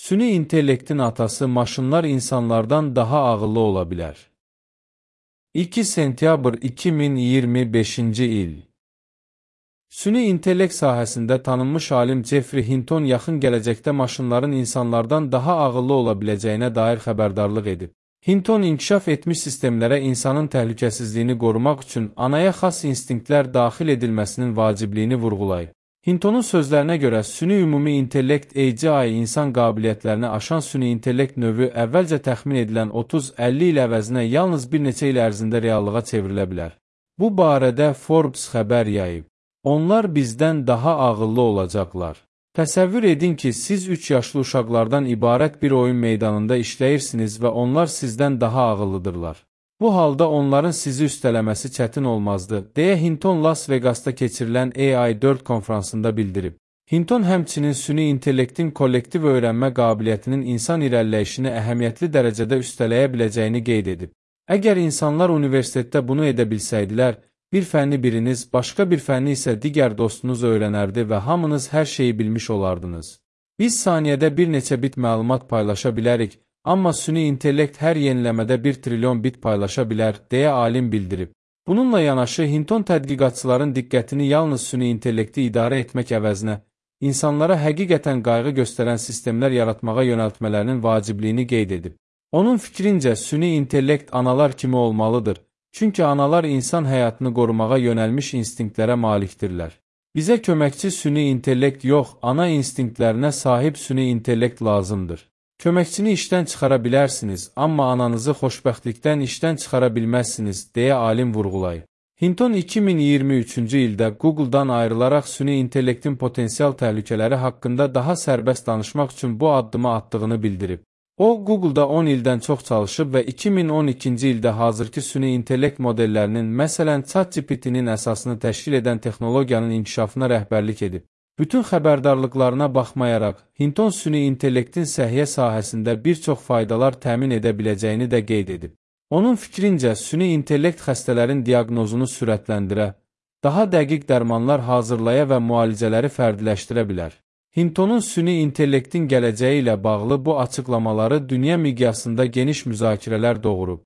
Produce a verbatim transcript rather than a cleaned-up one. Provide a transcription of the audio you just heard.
Süni intellektin atası maşınlar insanlardan daha ağıllı ola bilər. iki sentyabr iki min iyirmi beşinci il. Süni intellekt sahəsində tanınmış alim Jeffrey Hinton yaxın gələcəkdə maşınların insanlardan daha ağıllı ola biləcəyinə dair xəbərdarlıq edib. Hinton inkişaf etmiş sistemlərə insanın təhlükəsizliyini qorumaq üçün anaya xas instinktlər daxil edilməsinin vacibliyini vurğulayıb. Hintonun sözlərinə görə süni ümumi intellekt A G I insan qabiliyyətlərini aşan süni intellekt növü əvvəlcə təxmin edilən otuz əlli il əvəzinə yalnız bir neçə il ərzində reallığa çevrilə bilər. Bu barədə Forbes xəbər yayıb. Onlar bizdən daha ağıllı olacaqlar. Təsəvvür edin ki, siz üç yaşlı uşaqlardan ibarət bir oyun meydanında işləyirsiniz və onlar sizdən daha ağıllıdırlar. Bu halda onların sizi üstələməsi çətin olmazdı, deyə Hinton Las Vegasda keçirilən A I dörd konfransında bildirib. Hinton həmçinin süni intellektin kollektiv öyrənmə qabiliyyətinin insan irəliləyişini əhəmiyyətli dərəcədə üstələyə biləcəyini qeyd edib. Əgər insanlar universitetdə bunu edə bilsəydilər, bir fənni biriniz, başqa bir fənni isə digər dostunuz öyrənərdi və hamınız hər şeyi bilmiş olardınız. Biz saniyədə bir neçə bit məlumat paylaşa bilərik, amma süni intellekt hər yeniləmədə bir trilyon bit paylaşa bilər, deyə alim bildirib. Bununla yanaşı, Hinton tədqiqatçıların diqqətini yalnız süni intellekti idarə etmək əvəzinə, insanlara həqiqətən qayğı göstərən sistemlər yaratmağa yönəltmələrinin vacibliyini qeyd edib. Onun fikrincə, süni intellekt analar kimi olmalıdır, çünki analar insan həyatını qorumağa yönəlmiş instinktlərə malikdirlər. Bizə köməkçi süni intellekt yox, ana instinktlərinə sahib süni intellekt lazımdır. Köməkçini işdən çıxara bilərsiniz, amma ananızı xoşbəxtlikdən işdən çıxara bilməzsiniz, deyə alim vurğulayıb. Hinton iki min iyirmi üçüncü ildə Google-dan ayrılaraq süni intellektin potensial təhlükələri haqqında daha sərbəst danışmaq üçün bu addımı atdığını bildirib. O, Google-da on ildən çox çalışıb və iki min on ikinci ildə hazırki süni intellekt modellərinin, məsələn ChatGPT-nin əsasını təşkil edən texnologiyanın inkişafına rəhbərlik edib. Bütün xəbərdarlıqlarına baxmayaraq, Hinton süni intellektin səhiyyə sahəsində bir çox faydalar təmin edə biləcəyini də qeyd edib. Onun fikrincə, süni intellekt xəstələrin diaqnozunu sürətləndirə, daha dəqiq dərmanlar hazırlaya və müalicələri fərdiləşdirə bilər. Hintonun süni intellektin gələcəyi ilə bağlı bu açıqlamaları dünya miqyasında geniş müzakirələr doğurub.